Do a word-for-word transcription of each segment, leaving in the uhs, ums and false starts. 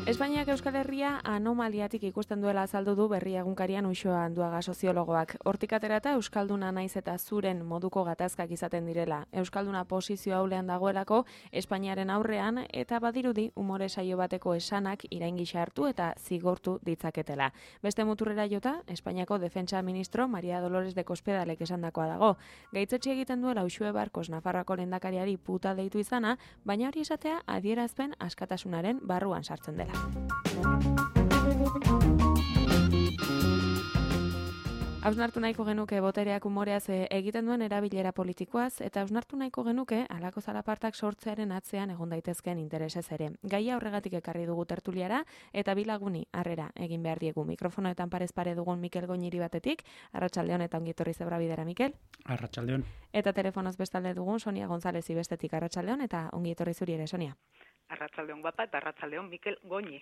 Espainiak Euskal Herria anomaliatik ikusten duela azaldu du Berria egunkarian Uxoa Anduaga soziologoak. Hortik aterata euskalduna naiz eta zuren moduko gatazkak izaten direla. Euskalduna posizio aulean dagoelako Espainiaren aurrean eta badirudi umore saio bateko esanak iraingisa hartu eta zigortu ditzaketela. Beste muturrera jota, Espainiako defentsa ministro Maria Dolores de Cospedalek esandakoa dago. Gaitzetsi egiten duela Uxue Barkos Nafarroako lehendakariari puta deitu izana, baina hori esatea adierazpen askatasunaren barruan sartzen dela. Hausnartu nahiko genuke botereak umoreaz egiten duen erabilera politikoaz, eta hausnartu nahiko genuke halako zalapartak sortzearen atzean egon daitezkeen interesez ere. Gaia horregatik ekarri dugu tertuliara, eta bilaguni harrera egin behar diegu. Mikrofonoetan parez pare dugun Mikel Goñiri batetik, arratsaldeon eta ongietorri zebra bidera, Mikel. Arratsaldeon. Eta telefonoz bestalde dugun Sonia González bestetik arratsaldeon eta ongietorri zuri ere, Sonia. Arratsaldeon guapa eta arratsaldeon Mikel Goñi.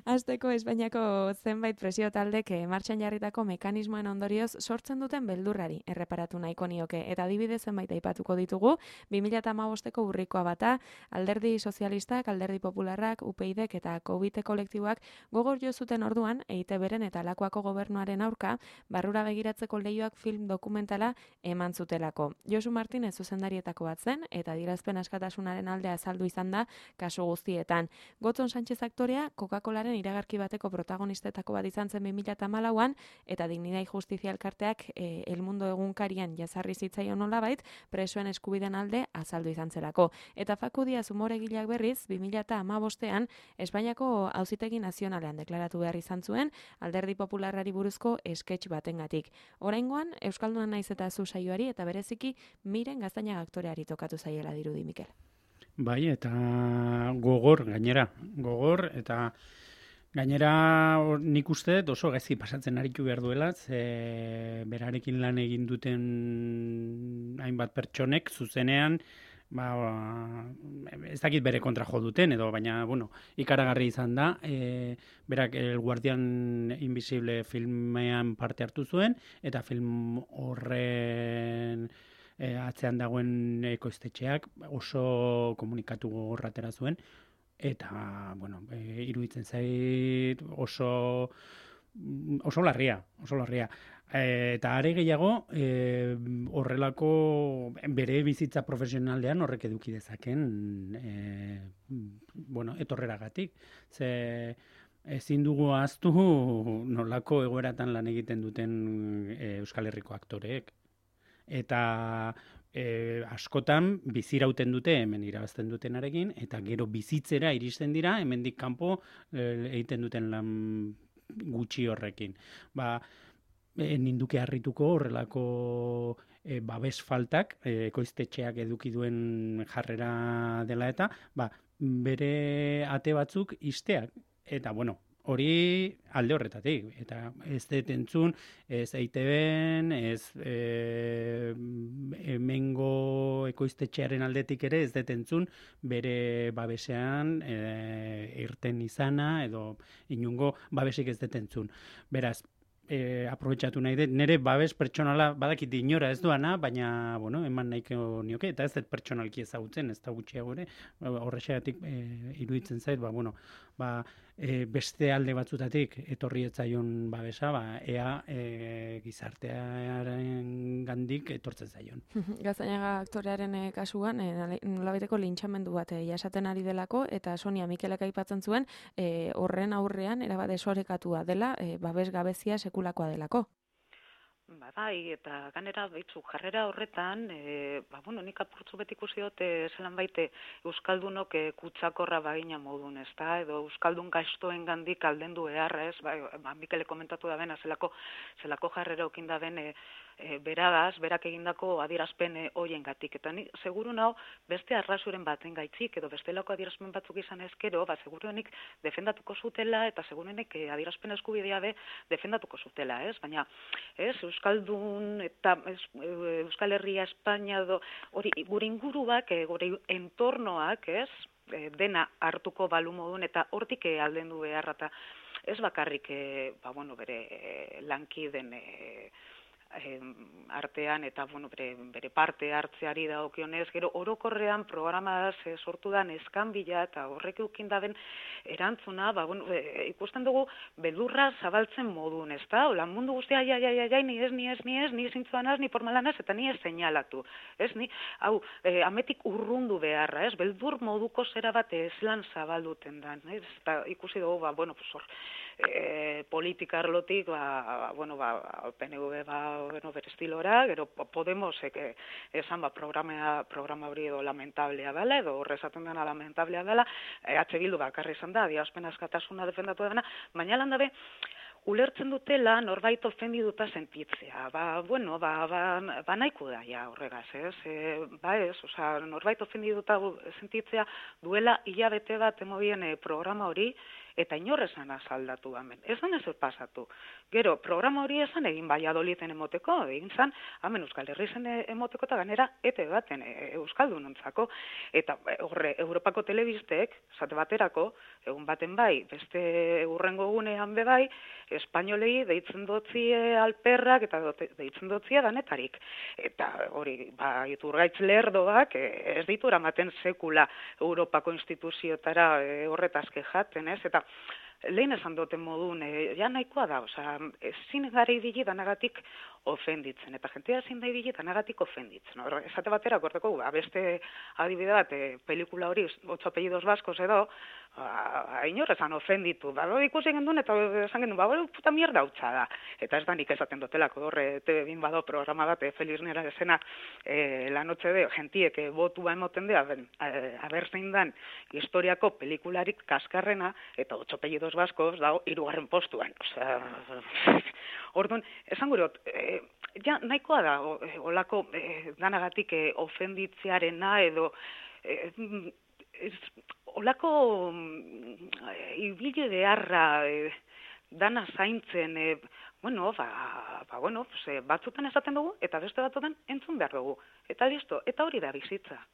Azteko Espainiako zenbait presio taldek martxan jarritako mekanismoen ondorioz sortzen duten beldurrari erreparatu nahiko nioke. Eta adibidez zenbait aipatuko ditugu, bi mila hamabosteko urrikoa bata, Alderdi Sozialistak, Alderdi Popularrak, U P Idek eta Covid kolektiboak gogor jo zuten orduan E I Te Beren eta Lakuako gobernuaren aurka barrura begiratzeko leioak film dokumentala eman zutelako. Josu Martinez zuzendarietako bat zen eta adierazpen askatasunaren aldea azaldu izan da kasu guztietan. Gotzon Sánchez aktorea Coca-Colaren iragarki bateko protagonistetako bat izan zen bi mila hamalauan eta Dignidad y Justizia elkarteak e, El Mundo egunkarian jazarri zitzaion nolabait presoen eskubideen alde azaldu izan zelako. Eta Facu Díaz umoregileak berriz bi mila hamabostean Espainiako Auzitegi Nazionalean deklaratu behar izan zuen Alderdi Popularrari buruzko sketch batengatik. Oraingoan euskalduna naiz eta zu saioari eta bereziki Miren Gaztañaga aktoreari tokatu zaiela dirudi, Mikel. Bai, eta gogor, gainera, gogor, eta gainera nik uste oso gaizki pasatzen aritu behar duela, ze berarekin lan egin duten hainbat pertsonek zuzenean, ba, ez dakit bere kontra jo duten, edo, baina, bueno, ikaragarri izan da, e, berak El Guardian Invisible filmean parte hartu zuen, eta film horren E, atzean dagoen ekoiztetxeak oso komunikatu gogorra atera zuen eta bueno, e, iruditzen zait oso oso larria, oso larria. E, eta are gehiago e, horrelako bere bizitza profesionalean horrek eduki dezaken e, bueno, etorreragatik. Ze ezin dugu ahaztu nolako egoeratan lan egiten duten e, Euskal Herriko aktoreek. Eta e, askotan bizirauten dute hemen irabazten dutenarekin, eta gero bizitzera iristen dira hemendik kanpo e, egiten duten lan gutxi horrekin. Ba, e, ninduke harrituko horrelako e, babes faltak, e, ekoiztetxeak eduki duen jarrera dela eta, ba, bere ate batzuk ixteak. Eta, bueno, hori alde horretatik, eta ez dut entzun, ez E I Te Ben, ez e, hemengo ekoiztetxearen aldetik ere, ez dut entzun bere babesean e, irten izana, edo inungo babesik ez dut entzun. Beraz, E, aprobetxatu nahi dut, nire babes pertsonala badakit inora ez doana, baina bueno, eman nahiko nioke, eta ez dut pertsonalki ezagutzen, ez da gutxiago ere, horrexegatik e, iruditzen zait, ba, bueno, ba, e, beste alde batzutatik etorri etzaion babesa, ba, ea e, gizartearen gandik etortzen zaion. Gaztañaga aktorearen e, kasuan, e, nolabaiteko lintxamendu bat e, jasaten ari delako, eta Sonia Mikelek aipatzen zuen, e, horren aurrean erabat desorekatua dela, e, babes gabezia sekulakoa delako. Ba, bai, eta ganera baitzu jarrera horretan, e, ba, bueno, nik apurtzu beti ikusi dut, e, zelan baite Euskaldunok e, kutsakorra bagina modun, ez da, edo Euskaldun gaiztoen gandik aldendu beharra, ez, ba, ba, Mikele komentatu da bena, zelako, zelako jarrera okin da ben, e, e, beragaz, berak egindako adierazpen e, hoien gatik. Eta nik, seguru nau, beste arrasuren baten gaitzik, edo bestelako adierazpen batzuk izan ezkero, ba, seguruenik defendatuko zutela, eta seguruenik e, adierazpen eskubidea be defendatuko zutela, ez, baina, ez, Euskaldun eta Euskal Herria, Espainia, do, hori gure inguruak, gure entornoak, ez, dena hartuko balu modun eta hortik aldendu beharra eta ez bakarrik, ba, bueno, bere lankiden artean eta bueno, bere, bere parte hartzeari dagokionez, gero orokorrean programaz e, sortu da neskanbila eta horrek eukin daben erantzuna, ba, bueno, e, ikusten dugu beldurra zabaltzen modun, ezta? Ola, mundu guztia, ai, ai, ai, ai, ni ez, ni ez, ni ez, ni zintzuanaz, ni formalanaz, eta ni ez seinalatu, ez, ni, hau, e, ametik urrundu beharra, ez, beldur moduko zera bat ez lan zabalduten da, ez, eta ikusi dugu, ba, bueno, pues hor, e, politika arlotik, ba, bueno, ba, P N V, ba, bueno, bere estilora, gero Podemosek esan ba, programa, programa hori edo lamentablea dela, edo horrezaten dena lamentablea dela, e, H Bildu bakarri izan da, adierazpen askatasuna defendatu dena, baina lan dabe, ulertzen dutela norbait ofendiduta sentitzea. Ba, bueno, ba, ba, ba nahiko da, ja, horregaz, ez? E, ba ez, oza, norbait ofendiduta sentitzea duela hilabete bat emobien e, programa hori, eta inorrezan azaldatu hemen. Ez dan ez pasatu. Gero, programa hori esan egin Valladoliden emoteko, egin zan, hemen Euskal Herrizen emoteko eta ganera ete baten e, Euskaldunontzako. Eta horre, Europako telebistek, zate baterako, egun baten bai, beste urrengo gunean be bai, espainolei deitzen dotzie alperrak eta deitzen dotzie danetarik. Eta hori, ba, Iturgaitz lerdoak ez ditu eramaten sekula Europako instituziotara e, horretaz kejaten, ez? Eta lehen esan duten modun, e, ja nahikoa da, oza, ezin gara ibili danagatik ofenditzen, eta jentea ezin da ibili danagatik ofenditzen. No? Esate batera, korteko, ba, beste adibide bat, e, pelikula hori, Ocho apellidos vascos edo, ba, inorrezan ofenditu, ba, ikusi gendun, eta esan gendun, ba, puta mierda hautsa da. Eta ez da nik esaten dotelako, horre, T V bin bado programa bat, e, Feliz Nera esena, e, la noche de, gentiek e, botua emoten dea, abertzein dan, historiako pelikularik kaskarrena, eta Ocho apellidos vascos dago hirugarren postuan. Osea, orduan, esan gurot, e, ja, nahikoa da, olako e, danagatik e, ofenditzearena edo e, ez, olako e, ibili beharra e, dana zaintzen, e, bueno, ba, ba, bueno, pues, e, batzutan esaten dugu, eta beste batzutan entzun behar dugu. Eta listo, eta hori da bizitza.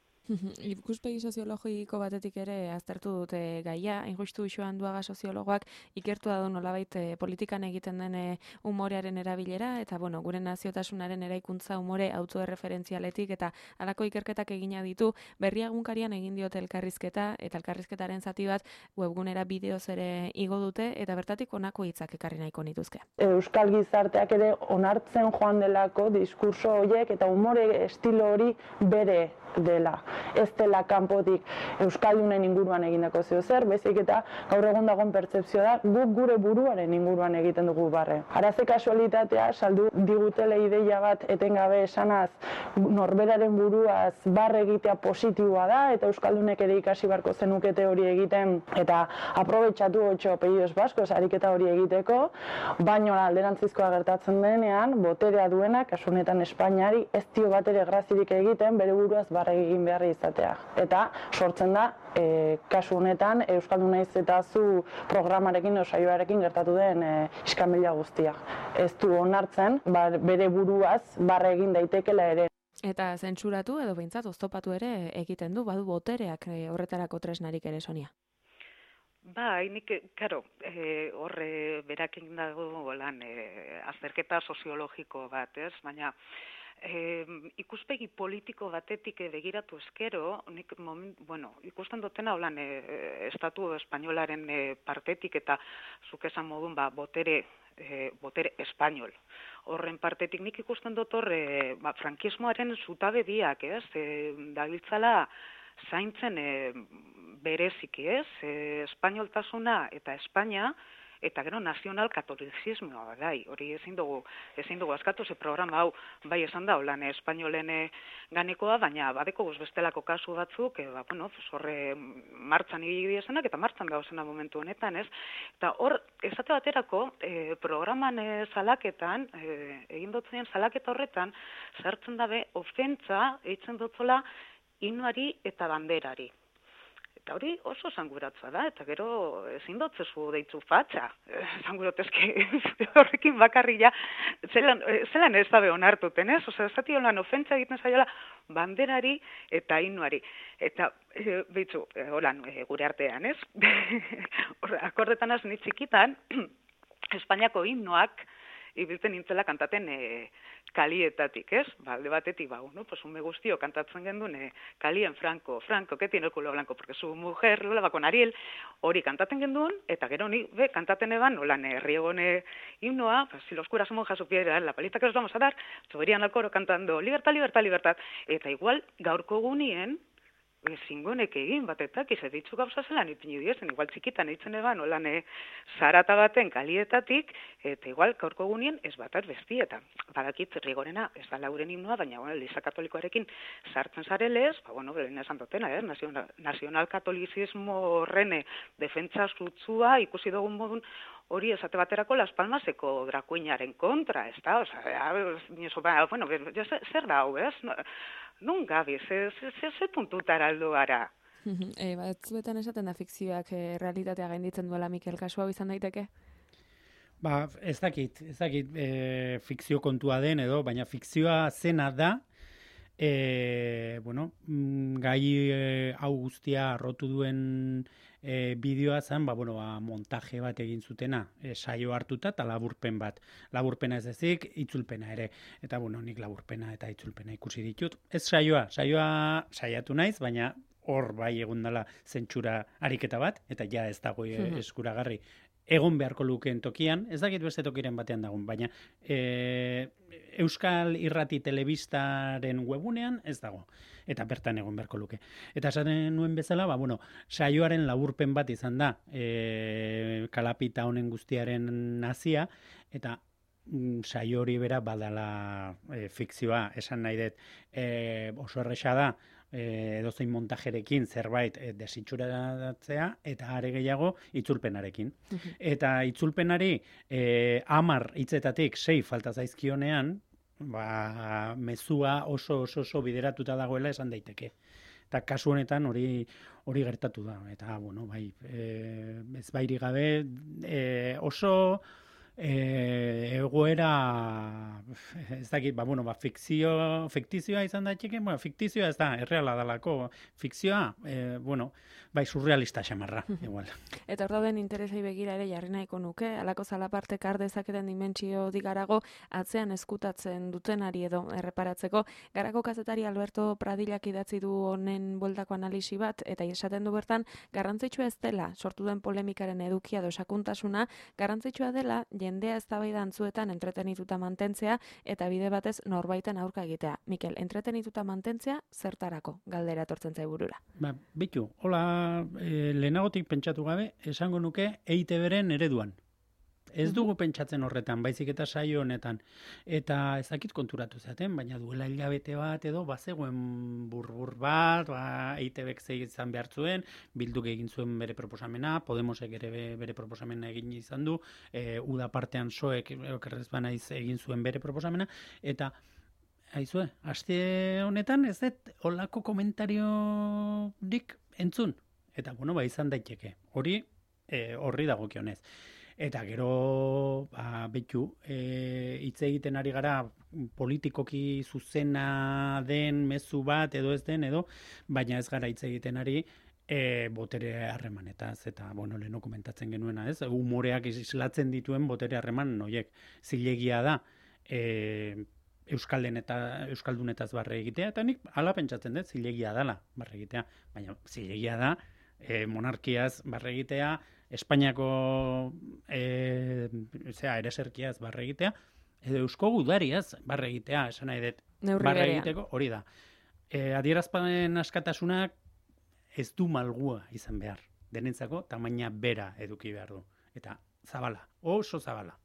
Ikuspegi soziologiko batetik ere aztertu dute gaia, injustu Joan Duaga soziologoak ikertu da du nolabait e, politikan egiten den e, umorearen erabilera, eta bueno, gure naziotasunaren eraikuntza umore autoerreferentzialetik eta halako ikerketak egina ditu, Berria egunkarian egin diote elkarrizketa, eta elkarrizketaren zati bat webgunera bideoz ere igo dute, eta bertatik honako hitzak ekarri nahiko nituzke. Euskal gizarteak ere onartzen joan delako diskurso horiek eta umore estilo hori bere dela. Ez dela kanpotik Euskaldunen inguruan egindako zeo zer, bezik eta gaur egun dagoen pertzepzioa da guk gure buruaren inguruan egiten dugu barre. Araze kasualitatea saldu digutele ideia bat etengabe esanaz norberaren buruaz barre egitea positiboa da eta Euskaldunek ere ikasi barko zenukete hori egiten eta aprobetxatu Ocho apellidos vascos ariketa hori egiteko, baino alderantzizkoa gertatzen denean boterea duena, kasu honetan Espainiari ez dio batere grazirik egiten bere buruaz barre egin behar izatea. Eta sortzen da, e, kasu honetan, Euskaldun naiz eta zu programarekin, osaioarekin gertatu den e, iskanbila guztia. Ez du onartzen, ba, bere buruaz barre egin daitekela ere. Eta zentsuratu edo behintzat oztopatu ere egiten du, badu botereak e, horretarako tresnarik ere, Sonia. Bai, nik, karo, e, horre berakin dago lan e, azterketa soziologiko bat, ez? Baina, E, ikuspegi politiko batetik begiratu eskero, nik moment, bueno, ikusten dutena holan e, estatu espainolaren e, partetik eta zuk esan modun ba, botere, e, botere espainol. Horren partetik nik ikusten dut hor e, ba, frankismoaren zutabe biak, ez? E, dabiltzala zaintzen e, bereziki, ez? E, espainoltasuna eta Espainia, eta gero nazional katolizismoa bai, hori ezin dugu, ezin dugu askatu, ze programa hau bai esan da, holan espainolen ganekoa, baina badeko guz bestelako kasu batzuk, e, ba, bueno, horre martxan ibili esanak, eta martxan dauzena momentu honetan, ez? Eta hor, esate baterako, e, programan e, salaketan, e, egin dutzen salaketa horretan, sartzen dabe, ofentza, eitzen dutzola, inuari eta banderari. Eta hori oso zanguratzua da, eta gero ezin dotzezu deitzu fatxa. Zangurotezke horrekin bakarri ja, zelan, zelan ez dabe onartuten, ez? Osa, ez zati holan ofentza egiten zaiola banderari eta inuari. Eta, e, behitzu, e, holan, e, gure artean, ez? Akordetan az nitzikitan, Espainiako himnoak ibiltzen nintzela kantaten e, kalietatik, ez? Ba, alde batetik, ba, no? Pues ume guztio kantatzen genduen e, kalien Franco, Franco, que tiene el culo blanco, porque su mujer, lola, bakon Ariel, hori kantaten genduen, eta gero ni, be, kantaten eban, nolan, herriegone himnoa, pues, si los curas monjas supieran la paliza que os vamos a dar, subirían al coro cantando, libertad, libertad, libertad, eta igual, gaurko gunien, zingonek egin batetak, ize ditzu gauza zelan ipini diezen, igual txikitan eitzen eban, olan e, zarata baten kalietatik, eta igual gaurko gunien ez batat besti, eta badakit rigorena, ez da lauren himnoa, baina bueno, Eliza Katolikoarekin sartzen zarelez, ba, bueno, belen esan dutena, eh? nazional, nazional katolizismo horrene defentsa zutzua, ikusi dugun modun, hori esate baterako Las Palmaseko drakuinaren kontra, ez da? Osa, bueno, zer da hau, ez? Nun gabi, ze, ze, ze, ze puntutara aldo gara? e, batzuetan esaten da fikzioak e, realitatea gainditzen duela, Mikel, kasu hau izan daiteke? Ba, ez dakit, ez dakit e, fikzio kontua den edo, baina fikzioa zena da, e, bueno, gai e, hau guztia arrotu duen e, bideoa zen, ba, bueno, ba, montaje bat egin zutena, e, saio hartuta eta laburpen bat. Laburpena ez ezik, itzulpena ere. Eta, bueno, nik laburpena eta itzulpena ikusi ditut. Ez saioa, saioa saiatu naiz, baina hor bai egun dela zentsura ariketa bat, eta ja ez dago e, eskuragarri. Egon beharko lukeen tokian, ez dakit beste tokiren batean dagoen, baina e, Euskal Irrati Telebistaren webunean ez dago, eta bertan egon beharko luke. Eta esaten nuen bezala, ba, bueno, saioaren laburpen bat izan da, e, kalapita honen guztiaren nazia, eta mm, saio hori bera badala e, fikzioa, esan nahi dut, e, oso erresa da, E, edozein montajerekin zerbait e, desitxuratzea eta are gehiago itzulpenarekin. Eta itzulpenari e, amar hitzetatik sei falta zaizkionean, ba, mezua oso oso oso bideratuta dagoela esan daiteke. Eta kasu honetan hori hori gertatu da. Eta, bueno, bai, e, ez bairi gabe e, oso E, egoera ez dakit, ba, bueno, ba, fikzio, fiktizioa izan daiteke, bueno, fiktizioa ez da, erreala dalako, fikzioa, e, bueno, bai, surrealista xamarra, igual. Eta hor dauden interesei begira ere jarri nahiko nuke, alako zalaparte kar dezaketen dimentsio digarago atzean eskutatzen dutenari edo erreparatzeko, garako kazetari Alberto Pradillak idatzi du honen bueltako analisi bat, eta esaten du bertan, garrantzitsua ez dela, sortu den polemikaren edukia edo sakontasuna, garrantzitsua dela, jendea eztabaida antzuetan entretenituta mantentzea eta bide batez norbaiten aurka egitea. Mikel, entretenituta mantentzea zertarako galdera etortzen zai burura? Ba, bitu, hola, e, lehenagotik pentsatu gabe, esango nuke E I Te Beren ereduan. Ez dugu pentsatzen horretan, baizik eta saio honetan. Eta ez dakit konturatu zaten, baina duela hilabete bat edo, bazegoen burbur bat, ba, E I Te Bek izan behar zuen, Bilduk egin zuen bere proposamena, Podemosek ere bere proposamena egin izan du, e, uda partean soek, okerrez banaiz egin zuen bere proposamena, eta aizue, aste honetan ez dut holako komentariorik entzun. Eta, bueno, ba, izan daiteke. Hori, e, horri dagokionez. Eta gero, ba, betu, e, hitz egiten ari gara politikoki zuzena den mezu bat edo ez den edo, baina ez gara hitz egiten ari e, botere harremanetaz, eta, bueno, leheno komentatzen genuena, ez? Humoreak islatzen dituen botere harreman noiek. Zilegia da, e, Euskalden eta Euskaldunetaz barre egitea, eta nik hala pentsatzen dut, zilegia dela barre egitea, baina zilegia da, e, monarkiaz barre egitea, Espainiako e, zera, ereserkiaz barre egitea, edo Eusko Gudariaz barre egitea, esan nahi dut, barre egiteko, hori da. E, adierazpanen askatasunak ez du malgua izan behar. Denentzako tamaina bera eduki behar du. Eta zabala, oso zabala.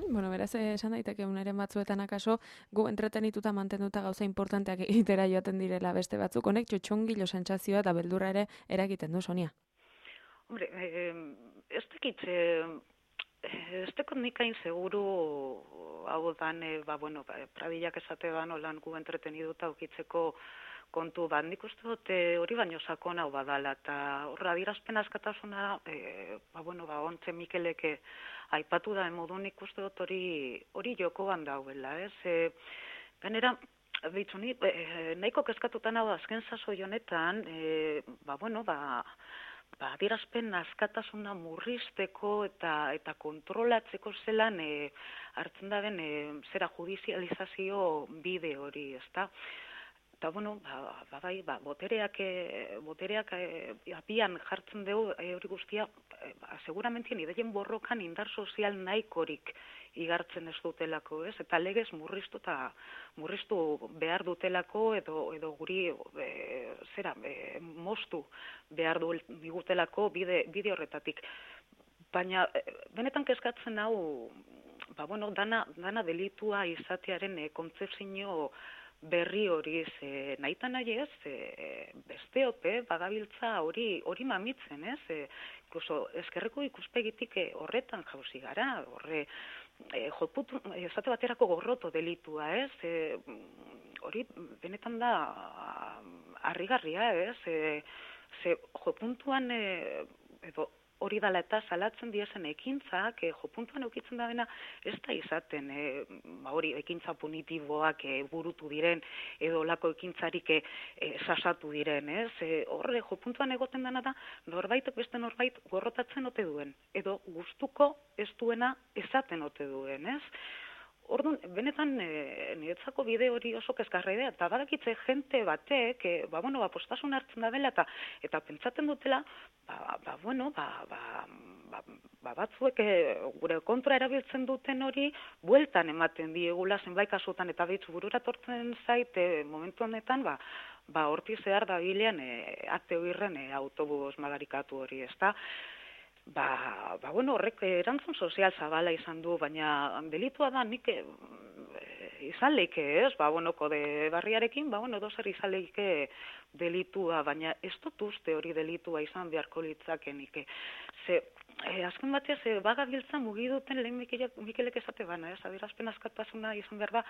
Bueno, beraz, esan daiteke unaren batzuetan akaso, gu entretenituta mantenduta gauza importanteak egitera joaten direla beste batzuk, honek txotxongilo sentsazioa eta beldurra ere eragiten du, Sonia. Hombre, eh, ez tekit, eh, ez tekot nik hain seguru hau dan, eh, ba, bueno, Pradillak esate ban, holan gu entreteniduta ukitzeko kontu bat. Nik uste dut hori baino sakon hau badala, eta horra adierazpen askatasuna, e, ba, bueno, ba, ontze Mikeleke aipatu da modu nik uste dut hori hori jokoan dauela, ez? E, Gainera, behitzu ni, e, nahiko kezkatutan hau azken sasoi honetan, e, ba, bueno, ba, ba, adierazpen askatasuna murrizteko eta eta kontrolatzeko zelan e, hartzen da den e, zera judizializazio bide hori, ezta? Eta, bueno, ba, ba, bai, ba, botereak, e, botereak e, apian jartzen dugu e, hori guztia, e, ba, seguramentien ideien borrokan indar sozial nahikorik igartzen ez dutelako, ez? Eta legez murriztu eta murriztu behar dutelako edo edo guri e, zera e, moztu behar du digutelako bide bide horretatik. Baina e, benetan kezkatzen hau, ba bueno, dana dana delitua izatearen e, kontzepzio berri hori ze nahita nahi ez, e, besteope badabiltza hori hori mamitzen, ez? E, incluso eskerreko ikuspegitik e, horretan jauzi gara, horre E, joputu, esate baterako gorroto delitua, ez? E, hori benetan da harrigarria, ez? E, ze jopuntuan e, edo hori dala eta salatzen diezen ekintzak, e, jopuntuan eukitzen da dena ez da izaten, e, ba hori ekintza punitiboak e, burutu diren, edo lako ekintzarik e, e, sasatu diren, ez? E, horre jopuntuan egoten dena da, norbaitek beste norbait gorrotatzen ote duen, edo gustuko ez duena esaten ote duen, ez? Orduan, benetan e, niretzako bide hori oso kezkarra eta badakitze jente batek, e, ba, bueno, ba, postasun hartzen da dela, eta, eta pentsatzen dutela, ba, ba, bueno, ba, ba, ba, ba batzuek e, gure kontra erabiltzen duten hori, bueltan ematen diegula zenbait kasutan, eta behitzu burura tortzen zait, e, momentu honetan, ba, ba, horti zehar da bilean, e, ate hoirren e, autobus madarikatu hori, ezta? Ba, ba, bueno, horrek erantzun sozial zabala izan du, baina delitua da nik e, izan leike, ez? Ba, bueno, kode barriarekin, ba, bueno, dozer izan leike delitua, baina ez dut uste hori delitua izan beharko litzakenik. Ze, e, azken bateaz, e, bagabiltza mugiduten lehen Mikelek esate bana, ez? Adierazpen askatasuna izan behar da,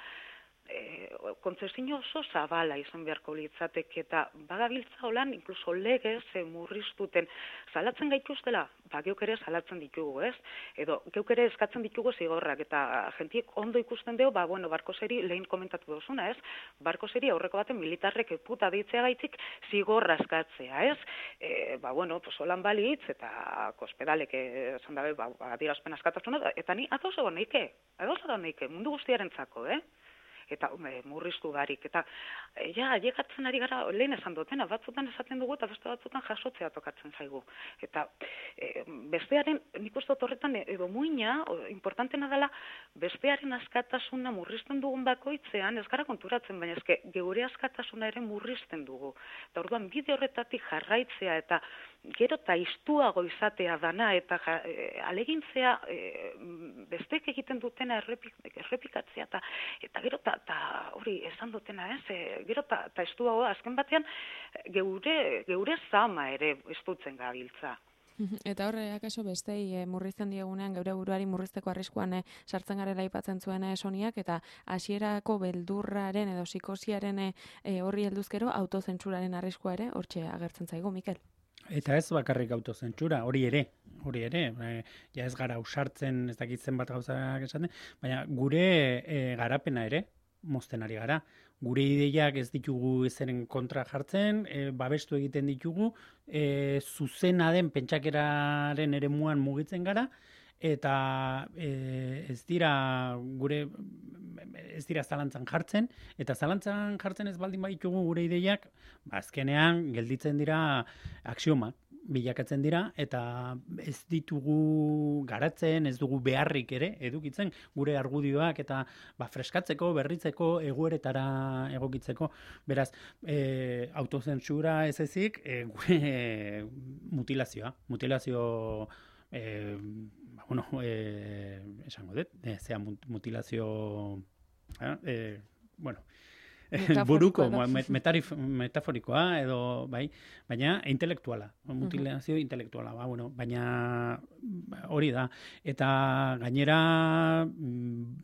E, kontzezio oso zabala izan beharko litzateke eta bagabiltza holan, inkluso legez e, murriztuten salatzen gaituztela, ba, geuk ere salatzen ditugu, ez? Edo, geuk ere eskatzen ditugu zigorrak, eta jentiek ondo ikusten dugu, ba, bueno, barko zeri lehen komentatu duzuna, ez? Barko zeri aurreko baten militarrek puta deitzea gaitzik zigorra eskatzea, ez? E, ba, bueno, pues holan balitz, eta kospedalek esan dabe, ba, adierazpen askatasuna, eta ni adoz egon neike, adoz egon neike, mundu guztiarentzako, eh? Eta e, murriztu barik, eta e, ja, ailegatzen ari gara lehen esan dutena, batzutan esaten dugu eta beste batzutan jasotzea tokatzen zaigu. Eta e, bestearen, nik uste dut horretan edo muina, o, importantena dela, bestearen askatasuna murrizten dugun bakoitzean, ez gara konturatzen, baina ezke geure askatasuna ere murrizten dugu. Eta orduan bide horretatik jarraitzea eta gero eta iztuago izatea dana eta ja, e, alegintzea e, bestek egiten dutena errepik, errepikatzea eta, eta gero eta hori esan dutena ez, e, gero eta iztuago azken batean geure, geure zama ere estutzen gabiltza. Eta horre, akaso bestei e, murrizten diegunean, geure buruari murrizteko arriskuan e, sartzen garela aipatzen zuen e, Soniak, eta hasierako beldurraren edo psikosiaren e, horri helduzkero autozentsuraren arriskua ere hortxe agertzen zaigu, Mikel. Eta ez bakarrik autozentsura, hori ere, hori ere, e, ja ez gara usartzen, ez dakitzen bat gauzak esaten, baina gure e, garapena ere, mozten ari gara. Gure ideiak ez ditugu ezeren kontra jartzen, e, babestu egiten ditugu, e, zuzena den pentsakeraren eremuan mugitzen gara, eta e, ez dira gure ez dira zalantzan jartzen, eta zalantzan jartzen ez baldin baditugu gure ideiak, ba, azkenean gelditzen dira aksiomak, bilakatzen dira, eta ez ditugu garatzen, ez dugu beharrik ere, edukitzen gure argudioak, eta ba, freskatzeko, berritzeko, egoeretara egokitzeko. Beraz, e, autozentsura ez ezik, e, gure mutilazioa, mutilazio E, ba, bueno, e, esango dut, e, zea mutilazio, e, bueno, buruko, metarif, metaforikoa, edo, bai, baina intelektuala, mutilazio uh-huh. intelektuala, ba, bueno, baina hori da. Eta gainera,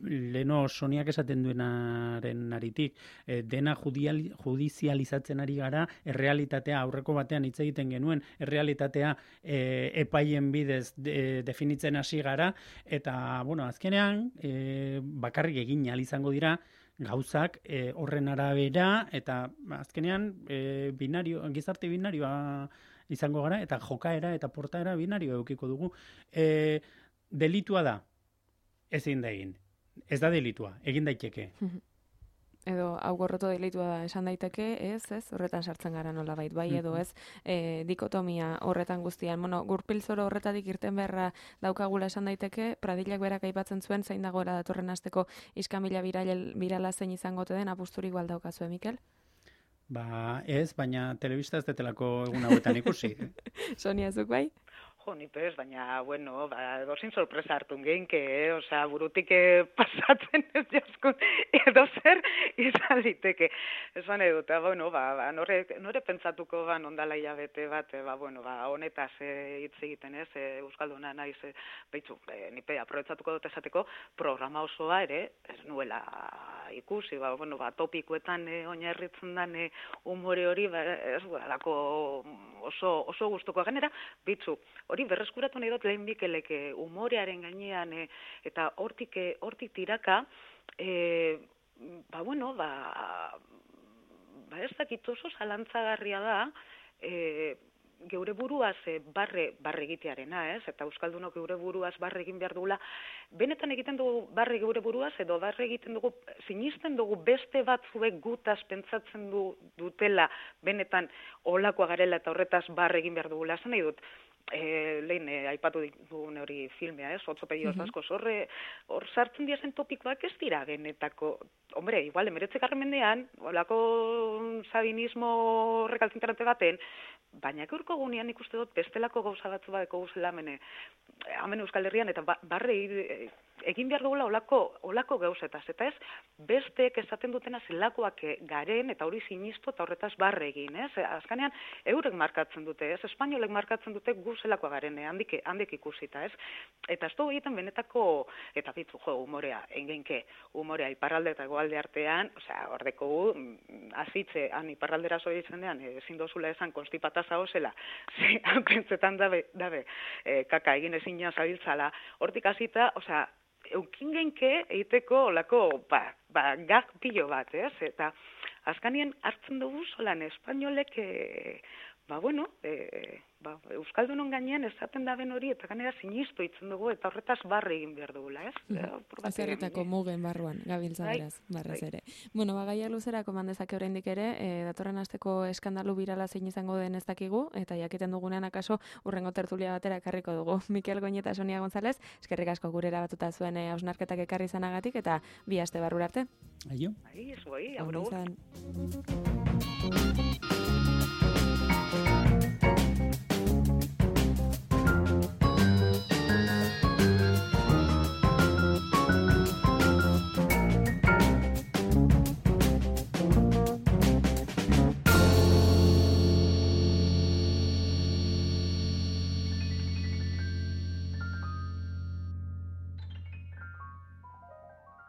leno Soniak esaten duenaren aritik, e, dena judial, judizializatzen ari gara, errealitatea, aurreko batean hitz egiten genuen, errealitatea e, epaien bidez de, definitzen hasi gara, eta, bueno, azkenean, e, bakarrik egin ahal izango dira, gauzak e, horren arabera eta azkenean e, binario, gizarte binarioa izango gara, eta jokaera eta portaera binario eukiko dugu. E, delitua da, ezin da egin. Ez da delitua, egin daiteke. Edo hau gorroto delitua da esan daiteke, ez, ez, horretan sartzen gara nolabait, bai edo ez, e, dikotomia horretan guztian. Bueno, gurpilzoro horretatik irten beharra daukagula esan daiteke, Pradillak berak aipatzen zuen, zein dagoela datorren asteko iskamila viral, virala zein izango te den, apusturik igual daukazue, Mikel? Ba, ez, baina telebista ez detelako egun hauetan ikusi. Sonia, zuk bai? Jo, ni pez, baina, bueno, ba, dozin sorpresa hartun geinke, eh? Osea, burutik eh, pasatzen ez jaskun, edo zer izan liteke. Esan edut, bueno, ba, ba, nore, nore pentsatuko ba, ondala hilabete bat, eh, ba, bueno, ba, honetaz eh, hitz egiten ez, eh, Euskalduna naiz, eh, behitzu, eh, nipe, aprobetsatuko dut esateko, programa osoa ere, ez nuela ikusi, ba, bueno, ba, topikuetan eh, oinarritzen den eh, umore hori, ba, ez gualako oso, oso gustuko ganera, bitzu, hori berreskuratu nahi dut lehen Mikelek umorearen gainean e, eta hortik hortik tiraka, e, ba bueno, ba, ba ez dakit oso zalantzagarria da, e, geure buruaz e, barre, barre egitearena, ez? Eta Euskaldunok geure buruaz barre egin behar dugula, benetan egiten dugu barre geure buruaz, edo barre egiten dugu, sinisten dugu beste batzuek gutaz pentsatzen du, dutela, benetan olakoa garela eta horretaz barre egin behar dugula, esan nahi dut, E, lehen e, aipatu dugun hori filmea, ez? Otzopedioz asko, horre, hor sartzen diazen topikoak ez dira benetako, hombre, igual, emeretzekarren mendean, olako sabinismo rekalzintarante baten, baina gaurko gunean ikuste dut bestelako gauza batzu badeko guzela mene, hemen Euskal Herrian, eta ba, barre egin behar dugula olako, olako gauzetaz, eta ez, besteek esaten dutena zelakoak garen, eta hori sinistu eta horretaz barre egin, ez? Azkanean, eurek markatzen dute, ez? Espainolek markatzen dute gu zelakoa garen, handik, handik ikusita, ez? Eta ez dugu egiten benetako, eta bitzu, jo, humorea, engeinke, humorea iparralde eta goalde artean, osea, ordeko gu, azitze, han iparraldera zoitzen dean, ezin dozula esan konstipataza hozela, ze, haukentzetan dabe, dabe, e, kaka egin ezin zabiltzala, hortik azita, osea, eukin genke egiteko olako, ba, ba, gag pilo bat, ez? Eta azkanien hartzen dugu solan espainolek, e, ba, bueno, e, ba, Euskaldunon gainean esaten da ben hori, eta ganera sinistu itzen dugu, eta horretaz barre egin behar dugula, ez? Azerretako mugen barruan, gabiltza beraz, barraz ere. Bueno, ba, gaia luzerako mandezake oraindik ere, e, datorren asteko eskandalu birala zein izango den ez dakigu, eta jakiten dugunean akaso urrengo tertulia batera ekarriko dugu. Mikel Goñi eta Sonia González, eskerrik asko gurera batuta zuen hausnarketak ekarri izanagatik, eta bi aste barrura arte. Aio. Ai, ez goi, aurro.